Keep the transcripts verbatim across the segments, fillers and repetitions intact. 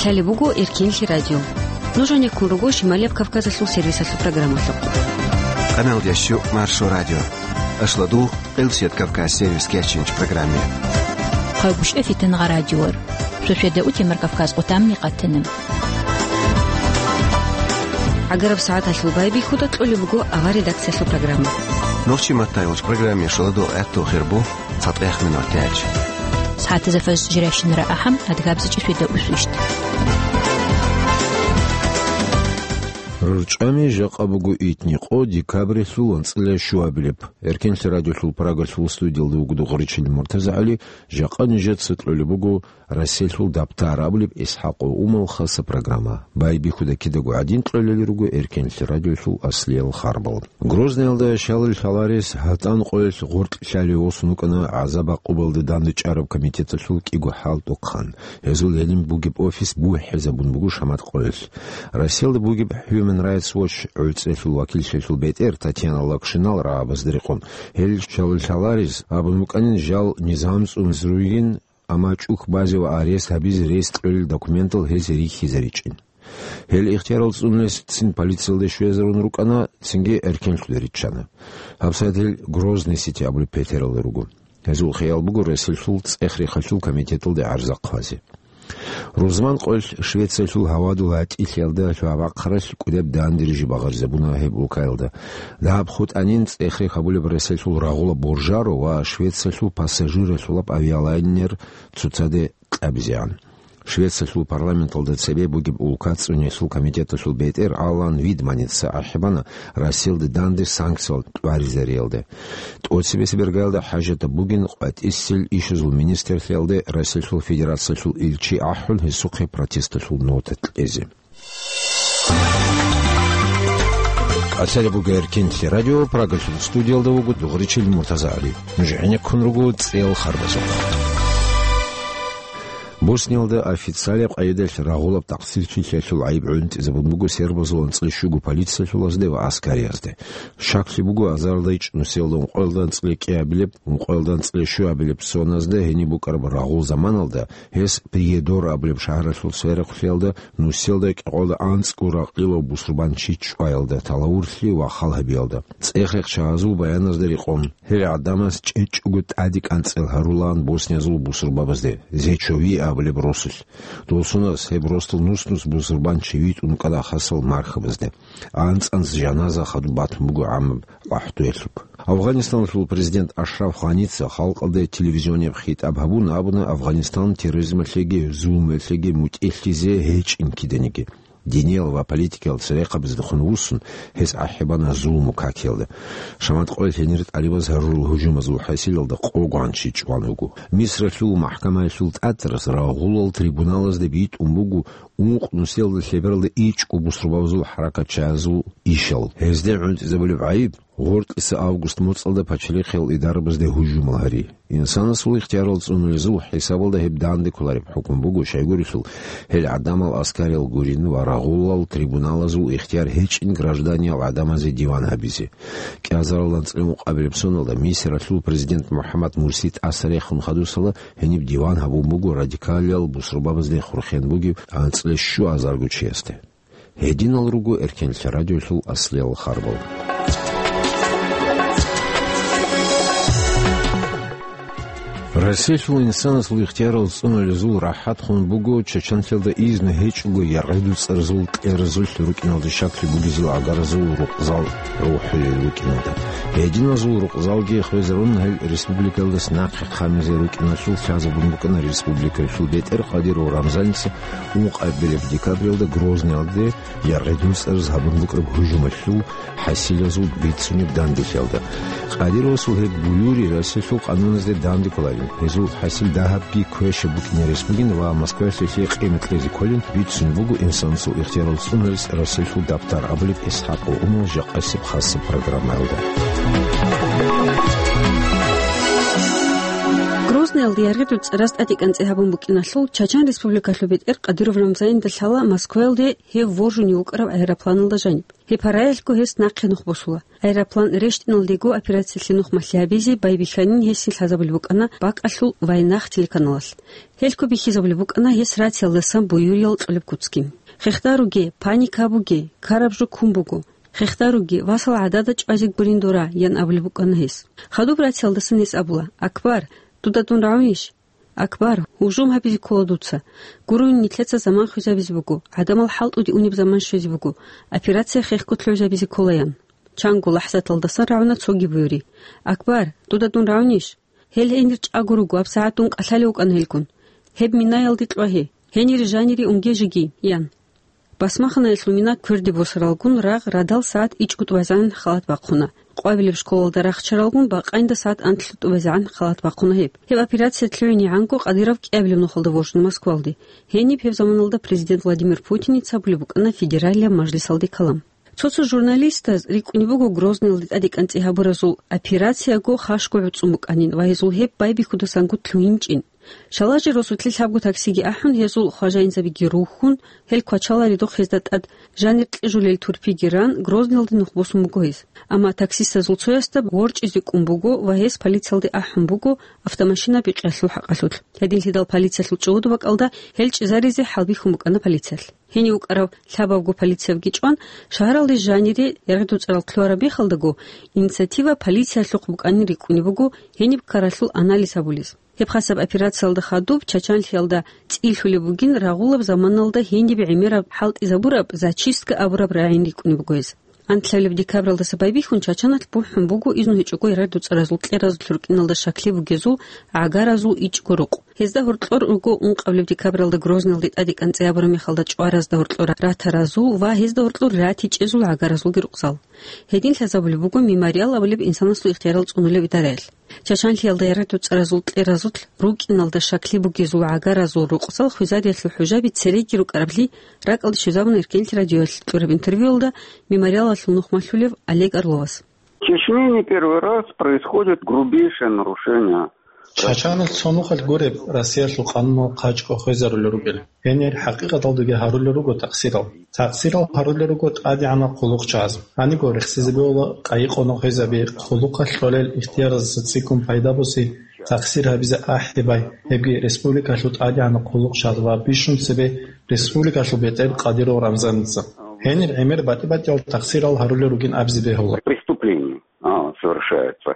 Лъалеб буго Эркенлъи радио. Нуж гьанеккун руго Шималияб Кавказалъул сервисалъул программалъухъ. Къаналда щу Маршо радио. Ашладу Къилсият Кавказ сервис кечинч программе. Хъайгуща фитангъа радиор. Шошведа утемар Кавказ къутамни къатана. ГӀагараб сагӀаталъул байбихьуда кьолеб буго авар редакциялъул программа. Нохчи маттайолч программе шаладу гӀатту хирбу цатӀех минут тяч. СагӀатазда фаз жиращинара ахӀам адгабзичӀи шведа усвищт. РорчӀами жакъа буго итни къо декабрилъул анцӀила щуабилеб. Эркенлъи радиолъул Прагалъул студиялда вугоду гъоричил МуртазагӀали, жакъа нижеца кьолеб буго Расселъул дабтар абулеб ИсхӀакъов Умал хаса программа. Байбихьуда кидаго гӀадин кьолели руго Эркенлъи радиолъул аслиял харбал. Грозныялда щалил лъаларес гьатӀан къоялъ гъоркь лъалев восун вукӀана гӀазаб-гӀакъубалда дандчӀараб комитеталъул кӀиго хӀалтӀухъан. Гьезул гьениб бугеб офис бухӀезабун буго шамат къоялъ. Россиялда бугеб Human Rights Watch гӀуцӀрелъул вакиллъиялъул бетӀер Татьяна Локшинал рагӀабазда рекъон, гьел щалил лъаларес абун букӀанин жал низам цӀунзе ругин, амма чӀухь базе ва арест гьабизе рес кьолел документал гьез рихьизаричӀин. Гьел ихтиярал цӀунулесцин полициялде щвезарун рукӀана, цинги эркенлъуда риччана. ГьабсагӀат гьел Грозный Сити абулеб петералда руго. Гьезул хиял буго Росселъул цӀех-рехалъул комитеталде гӀарза хъвазе. Рузман къоялъ Швециялъул гьавадул гьатӀилъиялда лъугьа-бахъаралъ кӀудеб дандериже багъаризабуна гьеб улкаялда. Дагьаб хутӀанин цӀех-рех гьабулеб Росселъул рагъула Боржаро ва Швециялъул пассажиралъулаб авиалайнер цоцаде кьабизегӀан. Швециялъул парламенталда цебе бугеб улка цӀунеялъул комитеталъул бетӀер Алан Видманица ахӀибана Россиялда данде санкциял тӀваризариялде. ТӀоцебесеб иргаялда хӀажатаб бугин къватӀисел ишазул министрлъиялде Росселъул Федерациялъул илчи ахӀун гьесухъе протесталъул нота кьезе. Асари буго Эркенлъи радио, Прагалъул студиялда вуго дугъричил МуртазагӀали. Нуж гӀенеккун руго цӀел харбазухъ. Босниялда официалияб къайдалъ рагъулаб такъсирчилъиялъул гӀайиб гӀунтӀизабун буго сербазул анцӀила щуго полициялъулазде ва аскариязде. Щаклъи буго, азарилда ичӀ нусиялда ункъоялда анцӀила кӀиабилеб, ункъоялда анцӀила щуабилеб соназда гьениб букӀараб рагъул заманалда гьес Приедор абулеб шагьаралъул сверухълъиялда нусиялда кӀикъоялда анцӀго ракълилав бусурбанчи чӀваялда, талавурлъи ва хал гьабиялда. ЦӀех-рехчагьазул баяназда рекъон, гьел гӀадамаз чӀечӀого тӀаде кӀанцӀел гьарулаан босниязул бусурбабазде, Зечови абулеб росулъ. Досунас гьеб росдал нус-нус бусурбанчи витӀун кӀвана хасал мархабазде. АнцӀанз жаназа хадуб батун буго гӀамаб гӀахӀдуялъуб. Афганистаналъул президент Ашраф Гъаница халкъалда телевизионияб хитӀаб гьабун абуна Афганистан терроризмалъеги зулмуялъеги мутӀигӀлъизе гьечӀин киданиги. Диниял ва политикиял церехъабаздехун вуссун, гьес ахӀибана зулму какиялда. Шамат къоялъ гьенир тӀалибаз гьарурал гьужумазул хӀасилалда къо гванчи чӀван вуго. Мисралъул махӀкамаялъул тӀатарас рагъулал трибуналазда битӀун буго ункъ нусиялда лъебералда ичӀго бусурбабазул хӀаракатчагьазул ишал. Гьезде гӀунтӀизабулеб гӀайиб гъоркьиса август моцӀалда пачалихъиял идарабазде гьужумал гьари. Инсанасул ихтиярал цӀунулезул хӀисабалда гьеб данде кколареб хӀукму буго, щайгурелъул гьел гӀадамал аскариял гурин ва рагъулал трибуналазул ихтияр гьечӀин гражданиял гӀадамазе диван гьабизе. КӀиазарал анцӀила ункъабилеб соналда Мисралъул президент МухӀаммад Мурси тӀаса рехун хадусала гьениб диван гьабун буго радикалиял бусурбабазде хурхен бугев анцӀила щуазарго чиясде. Гьединал руго Эркенлъи радиолъул аслиял харбал. Россиялъул инсанасул ихтиярал цӀунулезул рахӀат хун буго Чеченлъиялда изну гьечӀого яргъи-дуцӀарзул кьеразулъ рукӀиналда щаклъи бугезул гӀагаразул рукъзал рухӀулел рукӀиналда. Гьединазул рукъзалги хвезарун гьел республикаялдас нахъе хъамизе рукӀиналъул лъазабун букӀана республикалъул бетӀер Къадиров Рамзаница ункъабилеб декабралда Грозныялде яргъи-дуцӀараз гьабун букӀараб гьужумалъул хӀасилазул бицунеб данделъиялда. Къадировасул гьеб буюри Россиялъул къануназде данде кколарин, гьезул хӀасил дагьабги квешаб букӀине рес бугин ва Москваялъ гьелъие къимат кьезе кколин бицун буго инсанасул ихтиярал цӀунулес Россиялъул дабтар абулеб ИсхӀакъов Умал жакъасеб хасаб программаялда. Грозный Ягъидул цӀараз тӀадекӀанцӀи гьабун букӀиналъул, Чачан Республикалъул бетӀер Кадыров Рамзанилда лъала Москваялде гьев воржунев вукӀараб аэропланалда жаниб. Гьеб гьараялъго гьес нахъе нух босула. Аэроплан рещтӀиналдего операциялъе нух малъи гьабизе байбихьанин гьесие лъазабулеб букӀана бакӀалъул «Вайнах» телеканалалъ. Гьелъго бихьизабулеб букӀана гьес рациялдасан буюриял кьолеб куцги. «Хехдаруге, паника гьабуге, ккараб жо ккун буго. Хехдаруге, васал гӀадада чӀвазе гурин дора», – ян абулеб букӀана гьес. Хадуб рациялдасан гьес абула: «Акбар, дуда дун рагӀунищ? Акбар, гьужум гьабизе ккола дуца. Гуро, нилъеца заман хвезабизе буго, гӀадамал хӀалтӀуде унеб заман щвезе буго, операция хехго лъугӀизабизе ккола», – ян. Чанго лахӀзаталдасан рагӀуна цоги буюри. «Акбар, дуда дун рагӀунищ? Гьел гьенир чӀаго руго, гьабсагӀат дун кӀалъалев вукӀана гьелгун. Гьеб минаялде кьвагье, гьенир жанире унге жеги», – ян. Басмаханаялъул мина кверде босаралгун рагъ радал сагӀат ичӀго тӀубазегӀан халат бахъуна. Къвабилеб школалда рахчаралгун бакъайнда сагӀат анлъго тӀубазегӀан халат бахъуна гьеб. Гьеб операция лъугӀинегӀанго Кадыров кӀиабилеб нухалда воржана Москвалде. Гьениб гьеб заманалда президент Владимир Путиница абулеб букӀана федералияб мажлисалде калам. Цо-цо журналистаз рикӀкӀунеб буго Грозныйалде тӀадекӀанцӀи гьабуразул операцияго хашго гӀуцӀун букӀанин ва гьезул гьеб байбихьудасанго лъугьинчӀин. Шалажи росулъе лъабго таксиги ахӀун, гьезул хважаинзабиги рухьун, гьел квачаларидухъ гьезда тӀад жанир кьижулел турпиги ран, Грозныйалде нух босун буго гьез. Амма таксистазул цоясда ворчӀизе кӀун буго ва гьес полициялде ахӀун буго автомашина бикьиялъул хӀакъалъулъ. Гьединлъидал полициялъул чӀугӀуду бакӀалда гьел чӀезаризе хӀалбихьун букӀана полициялъ. Гьенив вукӀарав лъабабго полициявги чӀван, шагьаралде жанире Ягъидул цӀарал лъугьараб мехалдаго, инициатива полициялъухъ букӀанин рикӀкӀунеб буго гьениб ккаралъул анализ гьабулез. Гьеб хасаб операциялда хадуб Чачанлъиялда цӀийлъулеб бугин рагъулаб заманалда гьениб гӀемераб хӀалтӀизабураб, зачистка абураб рагӀин рикӀкӀунеб буго гьез. Анлъабилеб декабралдаса байбихьун Чачаналъ бухӀун буго изну гьечӀого Ягъидул цӀаразул кьеразулъ рукӀиналда щаклъи бугезул гӀагаразул ичӀго рукъ. Гьезда гьоркьор руго ункъабилеб декабралда Грозныйалде тӀадекӀанцӀи гьабураб мехалда чӀваразда гьоркьор ратаразул ва гьезда гьоркьор ратичӀезул гӀагаразулги рукъзал. Гьедин лъазабулеб буго «Мемориал» абулеб инсанасул ихтиярал цӀунулеб идараялъ. Чачанлъиялда Ягъидул цӀаразул кьеразулъ рукӀиналда щаклъи бугезул гӀагаразул рукъзал хвезариялъул хӀужаби цереги рукӀарабли ракӀалде щвезабуна Эркенлъи радиоялъ кьураб интервьюялда «Мемориалалъул» нухмалъулев Олег Орловас. В Чечне не первый раз происходит грубейшее нарушение. Чачаналъ цо нухалъ гуреб Россиялъул къануналъ хъачӀго хвезарулел ругел. Гьенир хӀакъикъаталдаги гьарулел руго такъсирал. Такъсирал гьарулел руго тӀадегӀанал хъулухъчагӀаз. Гьаниго рехсизе бегьула къайи-къонахъ гьезаби, хъулухъалъ кьолел ихтияраздаса цӀикӀкӀун пайда буси, такъсир гьабизе ахӀи бай, гьебги республикалъул тӀадегӀанал хъулухъчагӀаз ва бищун цебе республикалъул бетӀер Кадыров Рамзаница. Гьенир гӀемер батӀи-батӀиял такъсирал гьарулел ругин абизе бегьула. Преступление, а, совершается.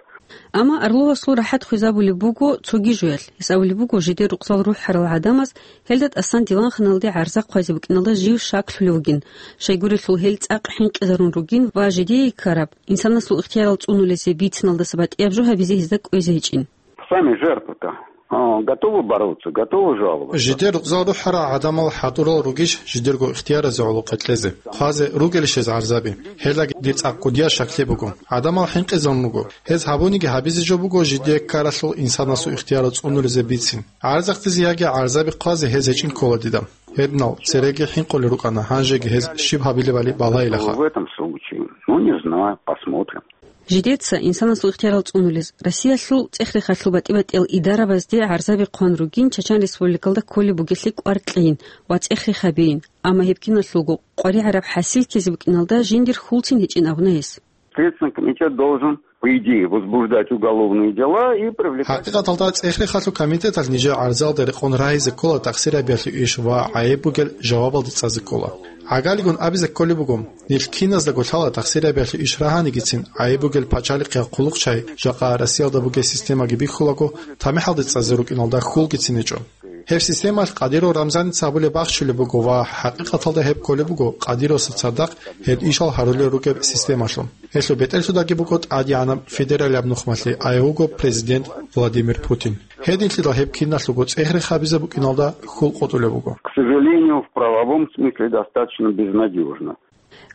Амма Орловасул рахӀат хвезабулеб буго цоги жоялъ. Гьес абулеб буго, жидер рукъзал рухӀарал гӀадамаз гьелда тӀасан диванханалде гӀарза хъвазе букӀиналда жив щаклъулев вугин, щайгурелъул гьел цӀакъ хӀинкъизарун ругин ва жидее ккараб, инсанасул ихтиярал цӀунулезе бициналдаса батӀияб жо гьабизе гьезда кӀвезе гьечӀин. Сами жертвы-то, а, готовы бороться, готовы жаловаться. Жидер рукъзал рухӀарал гӀадамал хӀадурал ругищ жидерго ихтияразе гӀолохъе кьезе? Хъвазе ругелищ гьез гӀарзаби? Гьелдаги дир цӀакъ кӀудиял щаклъи буго. ГӀадамал хӀинкъизарун руго. Гьез гьабуниги гьабизе жо буго жидее ккаралъул инсанасул ихтиярал цӀунулезе бицин. ГӀарзахъдизе яги гӀарзаби хъвазе гьез гьечӀин ккола дида. Гьединал цереги хӀинкъулел рукӀана, гьанжеги гьез щиб гьабилебали балайилаха. В этом случае, ну, не знаю, посмотрим. Жидеца инсанасул ихтиярал цӀунулез Россиялъул цӀех-рехалъул батӀи-батӀиял идарабазде гӀарзаби хъван ругин Чачан Республикалда кколеб бугелъи кӀвар кьейин ва цӀех-рех гьабейин, амма гьеб киналъулго къваригӀараб хӀасил ккезе букӀиналда жиндир хьулцин гьечӀин абуна гьес. Следственный комитет должен, по идее, возбуждать уголовные дела и привлекать. ХӀакъикъаталда цӀех-рехалъул комитеталъ нижер гӀарзалда рекъон рагьизе ккола тахсирабиялъе иш ва гӀайиб бугел жавабалде цӀазе ккола. ГӀагалигун абизе кколеб буго, нилъ киназдаго лъала тахсирабиялъе иш рагьанигицин, гӀайиб бугел пачалихъ я хъулухъчагӀи, жакъа Россиялда бугеб системаги бихьулаго, тамихӀалде цӀазе рукӀиналда хьулгицин гьечӀо. Гьеб системалъ Кадыров Рамзаница абулеб бахчулеб буго ва хӀакъикъаталда гьеб кколеб буго Кадыровасда цадахъ гьеб ишал гьарулел ругеб системалъул. Гьелъул бетӀерлъудаги буго тӀадегӀанаб федералияб нухмалъи, а гьев вуго президент Владимир Путин. Гьединлъидал гьеб киналъулго цӀех-рех гьабизе букӀиналда хьул къотӀулеб буго. К сожалению, в правовом смысле достаточно безнадежно.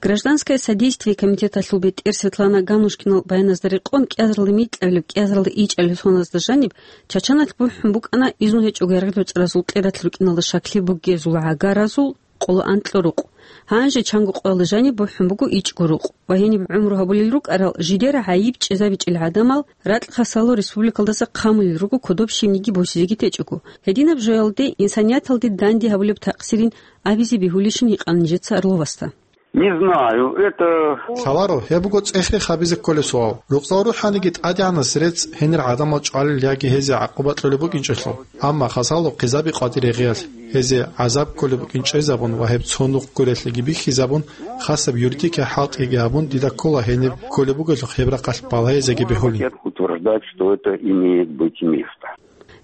Гражданское содействие комитеталъул бетӀер Светлана Ганнушкинал баяназда рекъон, кӀиазаралда микьабилеб, кӀиазаралда ичӀабилеб соназда жаниб, Чачаналъ бухӀун букӀана изну гьечӀого Ягъидул цӀаразул кьераялъ рукӀиналда щаклъи бугезул гӀагаразул къоло анкьа рукъ. Гьанже чанго къоялда жаниб бухӀун буго ичӀго рукъ ва гьениб гӀумру гьабулел рукӀарал жидер гӀайиб чӀезабичӀел гӀадамал ракь-хасало республикалдаса хъамулел руго кодоб щибниги босизеги течӀого. Гьединаб жоялде инсанияталде данде гьабулеб такъсирин абизе бегьулищин гьикъана нижеца Орловасда. Не знаю, это Лъаларо, гьеб буго цӀех-рех гьабизе кколеб суал. Рукъзал рухӀаниги тӀадегӀанас рецц гьенир гӀадамал чӀвалел яги гьезие гӀакъуба кьолеб букӀинчӀелъул. Амма хасало хъизаби къватӀир гьегъиялъ, гьезие гӀазаб кколеб букӀин чӀезабун ва гьеб цо нух гурелъиги бихьизабун, хасаб юридикай хӀалтӀиги гьабун, дида ккола гьениб кколеб бугелъул гьеб рахъалъ балагьизеги бегьулин. Утверждать, что это имеет быть место.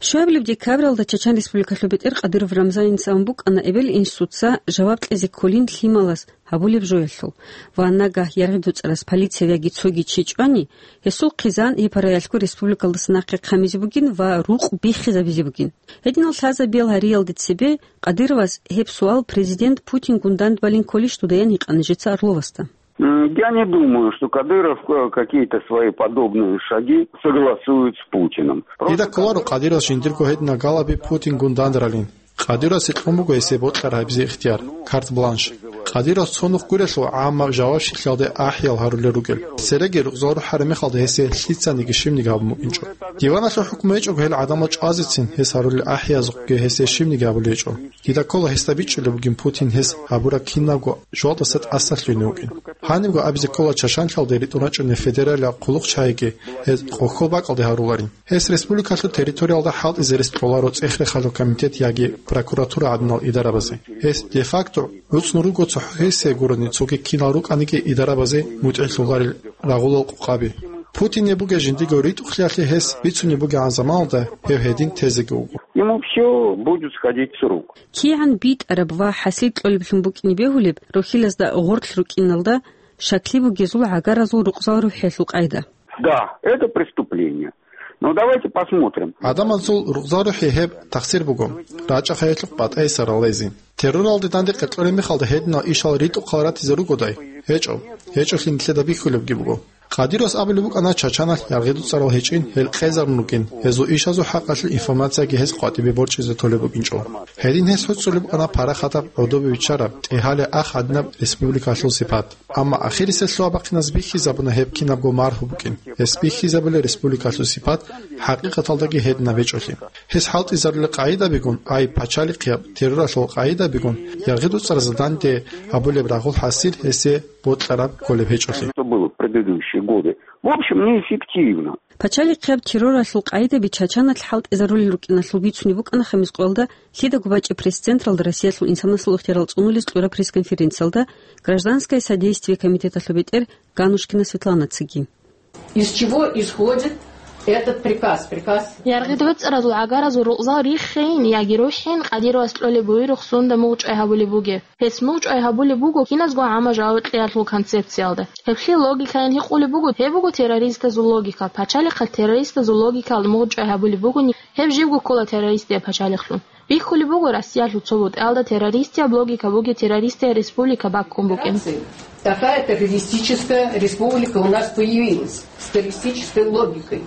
Щуабилеб декабралда Чачан Республикалъул бетӀер Кадыров Рамзаница ун букӀана эбел-инсуца жаваб кьезе кколин лъималас гьабулеб жоялъул ва нагагь яргъи дуцӀарас полиция яги цоги чи чӀвани, гьесул хъизан гьеб параялъго республикалдаса нахъе хъамизе бугин ва рукъ биххизабизе бугин. Гьединал лъазабиял гьариялде цебе Кадыровас гьеб суал президент Путингун дандбалин кколищ дудаян гьикъана нижеца Орловасда. М, я не думаю, что Кадыров, э, какие-то свои подобные шаги согласует с Путиным. Просто Дида кколаро Кадыровас жиндирго гьединал галаби Путингун дандралин. Кадыровасе кьун буго гьесие бокьараб гьабизе ихтияр, карт-бланш. Кадыровас цо нух гурелъул гӀамма жавабщиклъиялде ахӀиял гьарулел ругел. Цереги рукъзал рухӀараб мехалда гьесие лъицаниги щибниги гьабун букӀинчӀо. Диваналъул хӀукму гьечӀого гьел гӀадамал чӀвазецин гьес гьарулел ахӀиязухъги гьесие щибниги гьабулеб гьечӀо. Дида ккола гьесда бичӀчӀулеб бугин Путин гьес гьабураб кинабго жугьалдаса тӀасалъугьине вукӀин. Гьанибго абизе ккола Чачанлъалде ритӀун рачӀунел федералияб хъулухъчагӀиги гьез къоккол бакӀалде гьаруларин. Гьес республикалъул территориялда хӀалтӀизе рес кьоларо цӀех-рехалъул комитет яги прокуратура гӀадинал идарабазе. Гьес де-факто гӀуцӀун руго цохӀо гьесие гурони цоги кинал рукӀаниги идарабазе мутӀигӀлъуларел рагъулал къокъаби. Путине бугеб жиндирго ритӀухълъиялъе гьес бицунеб бугебгӀан заманалда гьев гьедин тезеги вуго. Ему всё будет сходить с рук. КигӀан битӀараб ва хӀасил кьолеблъун букӀине бегьулеб рохьилазда гъорлъ рукӀиналда щаклъи бугезул гӀагаразул рукъзал рухӀиялъул къайда. Да, это преступление. Но давайте посмотрим. ГӀадамазул рукъзал рухӀи гьеб тахсир буго, рачӀахъайилъухъ батӀайса ралайзин. Терроралде данде къеркьореб мехалда гьединал ишал ритӀухъал ратизе ругодай? ГьечӀо. ГьечӀолъи нилъеда бихьулебги буго. Кадыровас абулеб букӀана Чачаналъ яргъи дуцӀарал гьечӀин, гьел къезарун рукӀин, гьезул ишазул хӀакъалъулъ информацияги гьес къватӀибе борчӀизе толеб букӀинчӀо. Гьедин гьес гьуцӀулеб букӀана парахатаб гӀодобе биччараб, тӀегьале ахӀ гьадинаб республикалъул сипат. Амма ахирисеб лъугьа-бахъиназ бихьизабуна гьеб кинабго маргьу букӀин. Гьес бихьизабула республикалъул сипат хӀакъикъаталдаги гьединаб гьечӀолъи. Гьес хӀалтӀизарулел къагӀидабигун, ай пачалихъияб терроралъул къагӀидабигун, яргъи дуцӀараз данде гьабулеб рагъул хӀасил гьесие бокьараб кколеб гьечӀолъи. Что было в предыдущие годы? В общем, неэффективно. Пачалихъияб терроралъул къагӀидаби Чачаналъ хӀалтӀизарулел рукӀиналъул бицунеб букӀана хамис къоялда лъидаго бачӀеб пресс-централда Россиялъул инсанасул ихтиярал цӀунулес кьураб пресс-конференциялда Гражданское содействие комитеталъул бетӀер Ганушкина Светланацаги. Из чего исходит этот приказ? Приказ Яргъи дуцӀаразул гӀагаразул рукъзал риххейин яги рухӀин Кадыровас кьолеб буюрухъ сунда мугъчӀвай гьабулеб бугеб? Гьес мугъчӀвай гьабулеб буго киназго гӀамма жаваб кьеялъул концепциялда. Гьеб лъил логикайин гьикъулеб буго, гьеб буго террористазул логика. Пачалихъалъ террористазул логикаялда мугъчӀвай гьабулеб бугони, гьеб живго ккола террористияб пачалихълъун. Бихьулеб буго Россиялъул цо бутӀаялда террористияб логика бугеб террористияб республика баккун букӀин. Такая террористическая республика у нас появилась с террористической логикой.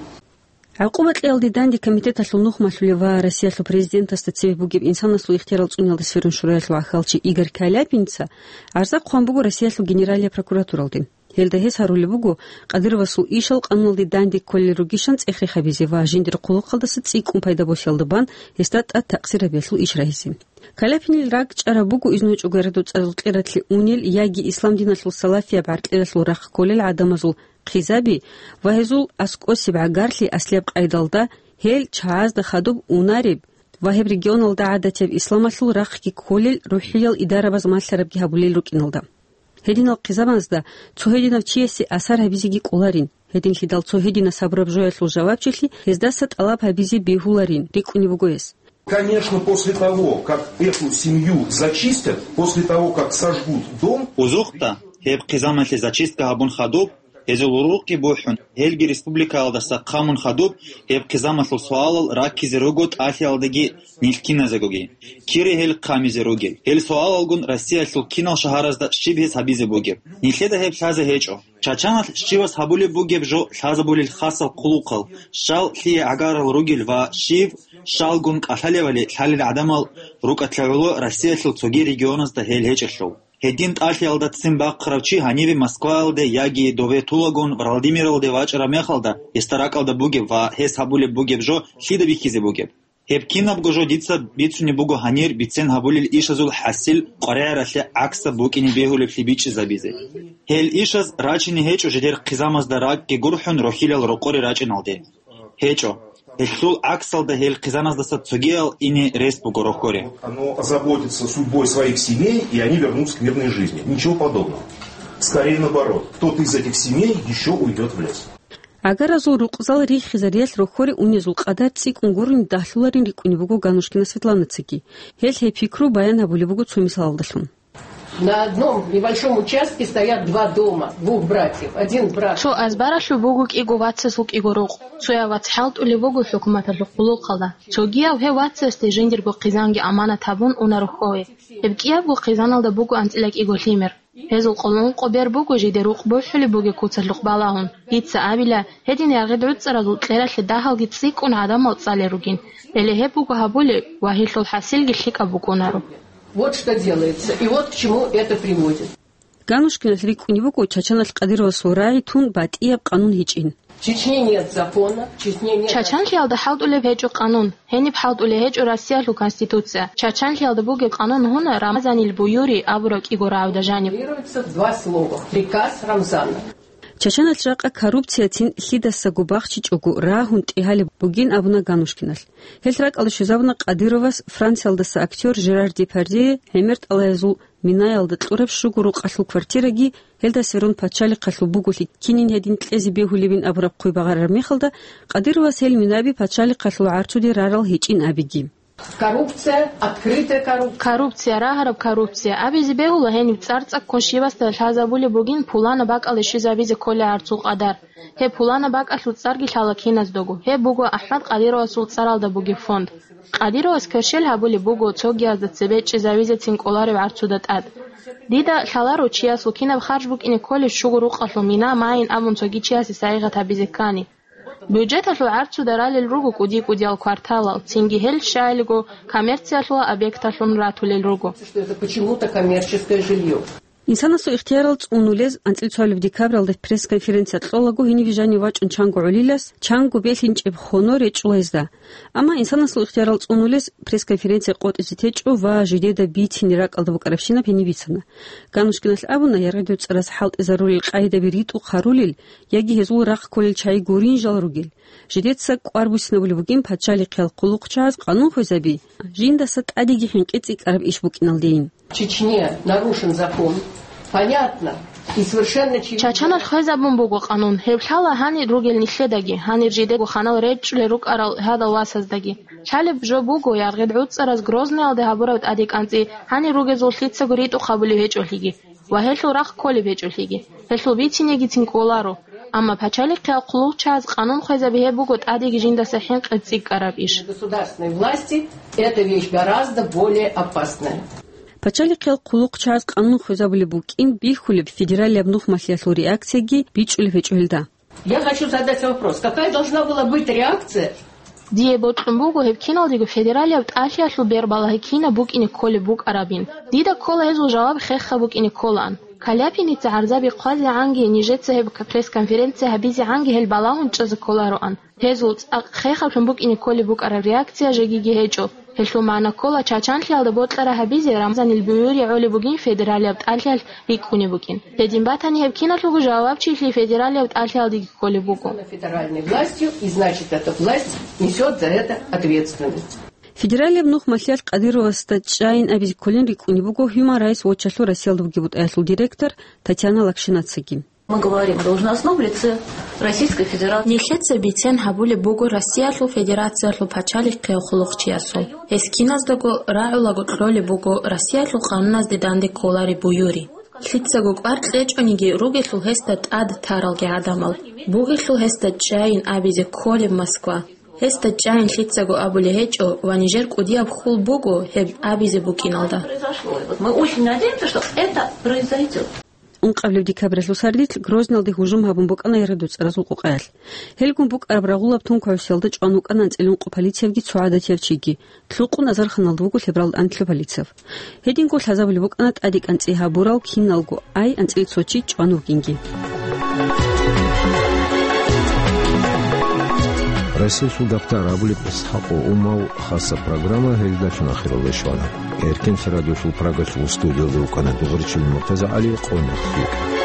ГӀакъуба кьеялде данде комитеталъул нухмалъулев ва Россиялъул президентасда цеве бугеб инсанасул ихтиярал цӀуниялда сверун шураялъул гӀахьалчи Игорь Каляпинца гӀарза хъван буго Россиялъул Генералияб прокуратуралде. Гьелда гьес гьарулеб буго Кадыровасул ишал къануналде данде кколел ругищан цӀех-рех гьабизе ва жиндир хъулухъалдаса цӀикӀкӀун пайда босиялда бан гьесда тӀад такъсир гьабиялъул иш рагьизе. Каляпинил ракӀчӀараб буго изну гьечӀого яргъи дуцӀарал кьератлъи унел яги ислам диналъул салафияб гӀаркьидалъул рахъ кколел гӀадамазул хъизаби ва гьезул аскӀосеб гӀагарлъи аслияб къайдалда гьел чагӀазда хадуб унареб ва гьеб регионалда гӀадатияб исламалъул рахъги кколел рухӀиял идарабаз малъарабги гьабулел рукӀиналда. Гьединал хъизамазда цо гьединав чиясе асар гьабизеги кӀоларин, гьединлъидал цо гьединас гьабураб жоялъул жавабчилъи гьездаса тӀалаб гьабизе бегьуларин, рикӀкӀунеб буго гьес. Конечно, после того, как эту семью зачистят, после того, как сожгут дом, Узухъда, гьеб хъизамалъе зачистка гьабун хадуб, гьезул рукъги бухӀун, гьелги республикаялдаса хъамун хадуб, гьеб хъизамалъул суалал раккизе руго тӀалъиялдаги нилъ киназегоги. Кире гьел хъамизе ругел? Гьел суалалгун Россиялъул кинал шагьаразда щиб гьес гьабизе бугеб? Нилъеда гьеб лъазе гьечӀо. Чачаналъ щивас гьабулеб бугеб жо лъазабулел хасал хъулухъал, щал лъие гӀагарал ругел ва щив, щалгун кӀалъалевали лъалел гӀадамал рукӀатлъагӀуло Россиялъул цоги регионазда гьел гьечӀелъул. Гьедин тӀалъиялда ццин бахъарав чи гьаниве Москваялде яги дове тулагун Владимиралде вачӀараб мехалда, гьесда ракӀалда бугеб ва гьес гьабулеб бугеб жо лъида бихьизе бугеб? Гьеб кинабго жо дица бицунеб буго гьанир бицен гьабулел ишазул хӀасил къваригӀаралъе гӀаксаб букӀине бегьулеблъи бичӀчӀизабизе. Гьел ишаз рачине гьечӀо жидер хъизамазда ракӀги гурхӀун рохьилал рокъоре рачӀиналде. ГьечӀо. Гьелъул гӀаксалда гьел хъизаназдаса цогиял ине рес буго рохьоре. Оно озаботится судьбой своих семей, и они вернутся к мирной жизни. Ничего подобного. Скорее наоборот, кто-то из этих семей еще уйдет в лес. ГӀагаразул рукъзал риххизариялъ рохьоре унезул къадар цӀикӀкӀун гурони дагьлуларин рикӀкӀунеб буго Ганушкина Светланацаги. Гьелъ гьеб пикру баян гьабулеб буго цо мисалалдалъун. На одном небольшом участке стоят два дома, двух братьев. Один брат. Цо азбаралъув буго кӀиго вацасул кӀиго рукъ. Цояв вац хӀалтӀулев вуго хӀукуматалъул хъулухъалда. Цогияв гьев вацасде жиндирго хъизанги аманат гьабун уна рохьове. Гьеб кӀиябго хъизаналда буго анцӀила кӀиго лъимер. Гьезул къоло ункъо бер буго жиде рукъ бухӀулеб бугеб куцалъухъ балагьун. Дица абила, гьедин яргъи гӀуцӀаразул кьералъе дагьалги цӀикӀкӀун гӀадамал цӀалел ругин. Гьеле гьеб буго гьабулеб ва гьелъул хӀасилги лъикӀаб букӀунаро. Вот что делается, и вот к чему это приводит. Ганушкиналъ рикӀкӀунеб буго Чачаналъ Кадыровасул рагӀи тун батӀияб къанун гьечӀин. В Чечне нет закона, в Чечне нет... Чачанлъиялда хӀалтӀулеб гьечӀо къанун, гьениб хӀалтӀулеб гьечӀо Россиялъул Конституция. Чачанлъиялда бугеб къанун гьуна Рамазанил буюри абураб кӀиго рагӀуда жаниб. Формулируется в два слова. Приказ Рамзана. Чачаналъ жакъа коррупцияцин лъидасаго бахчичӀого рагьун тӀегьалеб бугин абуна Ганушкиналъ. Гьелъ ракӀалде щвезабуна Кадыровас Франциялдаса актер Жерар Депардье гӀемер тӀалаязул Минаялда кьураб щуго рукъалъул квартираги, гьелда сверун пачалихъалъул буголъи кинин гьедин кьезе бегьулебин абураб хъуй багъарараб мехалда, Кадыровас гьел минаби пачалихъалъул гӀарцуде рарал гьечӀин абиги. Коррупция, открытая коррупция. Коррупция, рагьараб коррупция абизе бегьула гьениб цӀар цӀаккун щивасда лъазабулеб бугин пуланаб бакӀалде щвезабизе кколеб гӀарцул къадар. Гьеб пуланаб бакӀалъул цӀарги лъала киназдаго. Гьеб буго АхӀмад Кадыровасул цӀаралда бугеб фонд. Кадыровас кверщел гьабулеб буго цогиязда цебе чӀезавизецин кӀолареб гӀарцуда тӀад. Дида лъаларо чиясул кинаб харж букӀине кколеб щуго рукъалъул мина майин абун цоги чиясе сайигъат гьабизе ккани. Бюджеталъул гӀарцуда ралел руго кӀуди-кӀудиял кварталал, цинги гьел щайилго коммерциялъула объекталъун ратулел руго. Что это почему-то коммерческое жилье. Инсанасул ихтиярал цӀунулез анцӀила цоабилеб декабралда пресс-конференция кьолаго гьениб жанив вачӀун чанго гӀолилас, чанго белъинчӀеб хоно речӀчӀула гьезда. Амма инсанасул ихтиярал цӀунулез пресс-конференция къотӀизе течӀо ва жидеда бицине ракӀалда букӀарабщинаб гьениб бицана. Ганушкиналъ абуна, яргъи гӀуцӀараз хӀалтӀизарулел къагӀидаби ритӀухъ гьарулел яги гьезул рахъ кколел чагӀи гурин жал ругел. Жидеца кӀвар буссинабулеб бугин пачалихъиял хъулухъчагӀаз къанун хвезаби, жиндаса тӀадеги хӀинкъи цӀикӀкӀараб иш букӀиналдейин. В Чечне нарушен закон. Понятно и совершенно очевидно. Чачаналъ хвезабун буго къанун. Гьеб лъала гьанир ругел нилъедаги, гьанир жидего ханал речӀчӀулел рукӀарал гьадал васаздаги. Лъалеб жо буго, яргъи гӀуцӀараз Грозныялде гьабураб тӀадекӀанцӀи гьанир ругезул лъицаго ритӀухъ гьабулеб гьечӀолъиги ва гьелъул рахъ кколеб гьечӀолъиги. Гьелъул бицинегицин кӀоларо. Амма пачалихъиял хъулухъчагӀаз къанун хвезаби гьеб буго тӀадеги жиндаса хӀинкъи цӀикӀкӀараб иш. Государственной власти эта вещь гораздо более опасная. Пачалихъиял хъулухъчагӀаз къанун хвезабулеб букӀин бихьулеб федералияб нухмалъиялъул реакцияги бичӀчӀулеб гьечӀо гьелда. Я хочу задать вопрос, какая должна была быть реакция? Дие бокьун буго гьеб киналдего федералияб тӀалъиялъул бербалагьи кинаб букӀине кколеб букӀарабин. Дида ккола гьезул жаваб хеха букӀине кколаан. Каляпиница гӀарзаби хъвазегӀанги, нижеца гьеб пресс-конференция гьабизегӀанги гьел балагьун чӀезе кколароан. Гьезул цӀакъ хехалъун букӀине кколеб букӀараб реакция жегиги гьечӀо. Гьелъул магӀна ккола, чачанлъиялда бокьараб гьабизе Рамзанил буюри гӀолеб бугин федералияб тӀалъиялъ рикӀкӀунеб букӀин. Гьедин батани, гьеб киналъулго жавабчилъи федералияб тӀалъиялдеги кколеб буго. Федеральной властью, и значит, эта власть несет за это ответственность. Федералияб нухмалъиялъ Кадыровасда чӀайин абизе кколин рикӀкӀунеб буго Human Rights Watch-алъул Россиялда бугеб бутӀаялъул директор Татьяна Лакшинацаги. Мы говорим о должностном лице Российской Федерации. Нилъеца бицен гьабулеб буго Россиялъул Федерациялъул пачалихъияв хъулухъчиясул. Гьес киназдаго рагӀулаго кьолеб буго Россиялъул къануназде данде кколареб буюри. Лъицаго кӀвар кьечӀониги ругелъул гьесда тӀад таралги гӀадамал. Бугелъул гьесда чӀайин абизе кколеб Москва. Гьесда чӀайин лъицаго абулеб гьечӀо ва нижер кӀудияб хьул буго гьеб абизе букӀиналда. Мы очень надеемся, что это произойдет. Ункъабилеб декабралъул сардилъ Грозналде гьужум гьабун букӀана яргъиб доцӀаразул къукъаялъ. Гьелгун букӀараб рагъулаб тунквавсиялда чӀван вукӀана анцӀила ункъо полициявги цо гӀадатияв чиги. Лъукъун азарханлъун вуго лъебералда анлъго полицияв. Гьединго лъазабулеб букӀана тӀаде кӀанцӀи гьабурал киналго ай анцӀила цо чи чӀван вугинги. Расилъул дактар абулеб ИсхӀакъ Умал хасаб программа гьелдалъун ахиралде щвана. Эркенлъи радиолъул Прагалъул студиялда вукӀана дугӀурчияв Муртаза ГӀали, къо нилъее.